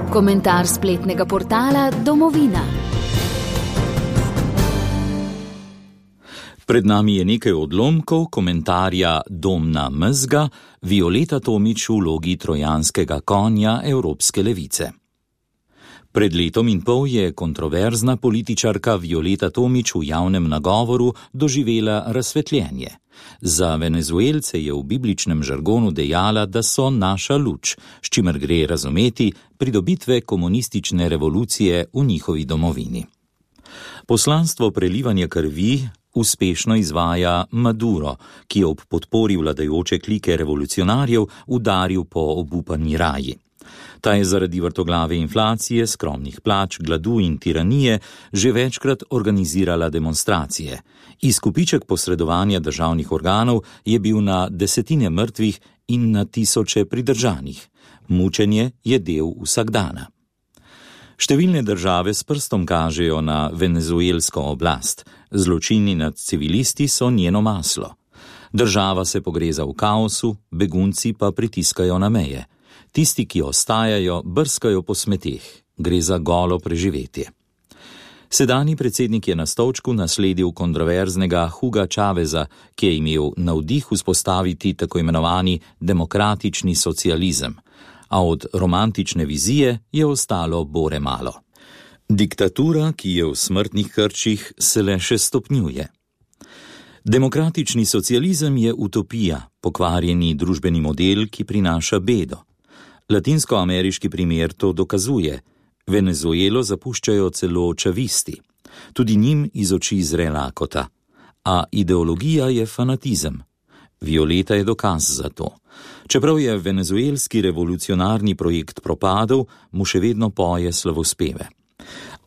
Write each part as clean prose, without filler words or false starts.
Komentar spletnega portala Domovina. Pred nami je nekaj odlomkov komentarja Domna Mezga, Violeta Tomić v vlogi trojanskega konja evropske levice. Pred letom in pol je kontroverzna političarka Violeta Tomić v javnem nagovoru doživela razsvetljenje. Za Venezuelce je v bibličnem žargonu dejala, da so naša luč, s čimer gre razumeti pridobitve komunistične revolucije v njihovi domovini. Poslanstvo prelivanja krvi uspešno izvaja Maduro, ki je ob podpori vladajoče klike revolucionarjev udaril po obupani raji. Ta je zaradi vrtoglave inflacije, skromnih plač, gladu in tiranije že večkrat organizirala demonstracije. Izkupiček posredovanja državnih organov je bil na desetine mrtvih in na tisoče pridržanih. Mučenje je del vsakdana. Številne države s prstom kažejo na venezuelsko oblast. Zločini nad civilisti so njeno maslo. Država se pogreza v kaosu, begunci pa pritiskajo na meje. Tisti, ki ostajajo, brskajo po smeteh. Gre za golo preživetje. Sedanji predsednik je na stolčku nasledil kontroverznega Huga Chaveza, ki je imel navdih vzpostaviti tako imenovani demokratični socializem, a od romantične vizije je ostalo bore malo. Diktatura, ki je v smrtnih krčih, se le še stopnjuje. Demokratični socializem je utopija, pokvarjeni družbeni model, ki prinaša bedo. Latinskoameriški primer to dokazuje. Venezuelo zapuščajo celo čavisti. Tudi njim iz oči zre lakota. A ideologija je fanatizem. Violeta je dokaz za to. Čeprav je venezuelski revolucionarni projekt propadel, mu še vedno poje slavospeve.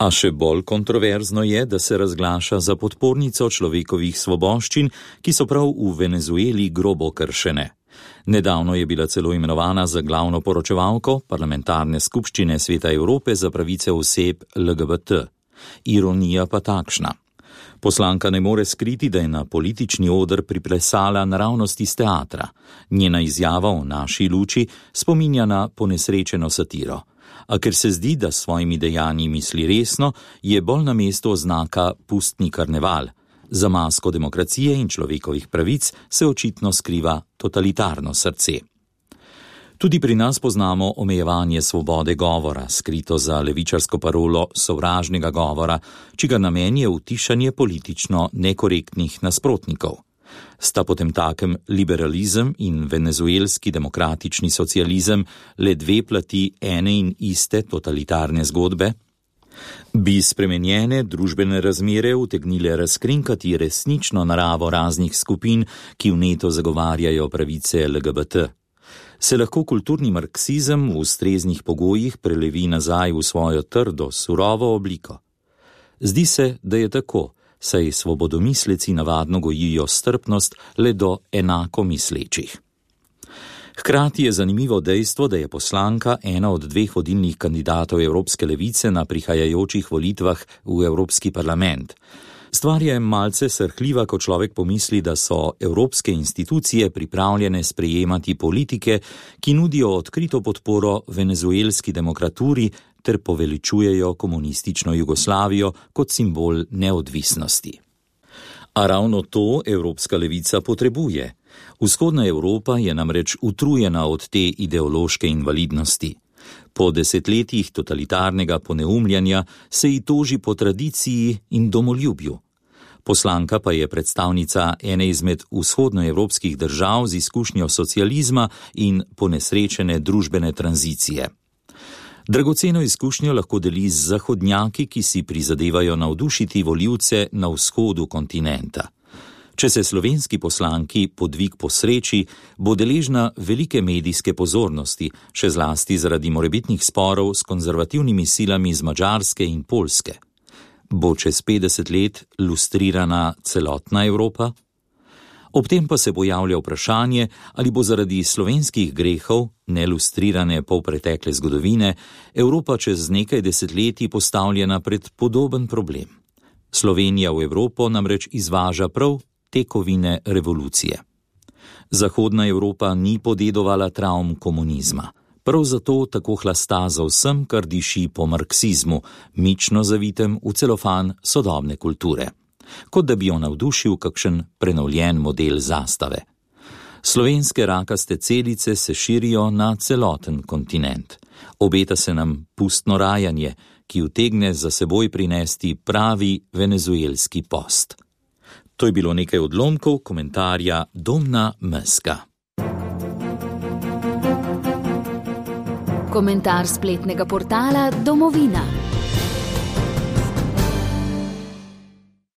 A še bolj kontroverzno je, da se razglaša za podpornico človekovih svoboščin, ki so prav v Venezueli grobo kršene. Nedavno je bila celo imenovana za glavno poročevalko parlamentarne skupščine Sveta Evrope za pravice oseb LGBT. Ironija pa takšna. Poslanka ne more skriti, da je na politični oder priplesala naravnost iz teatra. Njena izjava o naši luči spominja na ponesrečeno satiro. A ker se zdi, da s svojimi dejanji misli resno, je bolj na mestu oznaka pustni karneval. Za masko demokracije in človekovih pravic se očitno skriva totalitarno srce. Tudi pri nas poznamo omejevanje svobode govora, skrito za levičarsko parolo sovražnega govora, čigar namen je utišanje politično nekorektnih nasprotnikov. Sta potemtakem liberalizem in venezuelski demokratični socializem le dve plati ene in iste totalitarne zgodbe? Bi spremenjene družbene razmere utegnile razkrinkati resnično naravo raznih skupin, ki vneto zagovarjajo pravice LGBT? Se lahko kulturni marksizem v ustreznih pogojih prelevi nazaj v svojo trdo, surovo obliko? Zdi se, da je tako, saj svobodomisleci navadno gojijo strpnost le do enako mislečih. Hkrati je zanimivo dejstvo, da je poslanka ena od dveh vodilnih kandidatov Evropske levice na prihajajočih volitvah v Evropski parlament. Stvar je malce srhljiva, ko človek pomisli, da so evropske institucije pripravljene sprejemati politike, ki nudijo odkrito podporo venezuelski demokraturi ter poveličujejo komunistično Jugoslavijo kot simbol neodvisnosti. A ravno to evropska levica potrebuje. Vzhodna Evropa je namreč utrujena od te ideološke invalidnosti. Po desetletjih totalitarnega poneumljanja se ji toži po tradiciji in domoljubju. Poslanka pa je predstavnica ene izmed vzhodnoevropskih držav z izkušnjo socializma in ponesrečene družbene tranzicije. Dragoceno izkušnjo lahko deli z zahodnjaki, ki si prizadevajo navdušiti volivce na vzhodu kontinenta. Če se slovenski poslanki podvig posreči, bo deležna velike medijske pozornosti, še zlasti zaradi morebitnih sporov s konzervativnimi silami z Madžarske in Poljske. Bo čez 50 let lustrirana celotna Evropa? Ob tem pa se pojavlja vprašanje, ali bo zaradi slovenskih grehov, nelustrirane polpretekle zgodovine, Evropa čez nekaj desetletij postavljena pred podoben problem. Slovenija v Evropo namreč izvaža prav tekovine revolucije. Zahodna Evropa ni podedovala travm komunizma. Prav zato tako hlasta za vsem, kar diši po marksizmu, mično zavitem v celofan sodobne kulture. Kot da bi jo navdušil kakšen prenovljen model zastave. Slovenske rakaste celice se širijo na celoten kontinent. Obeta se nam pustno rajanje, ki utegne za seboj prinesti pravi venezuelski post. To je bilo nekaj odlomkov komentarja Domna Mezga. Komentar spletnega portala Domovina.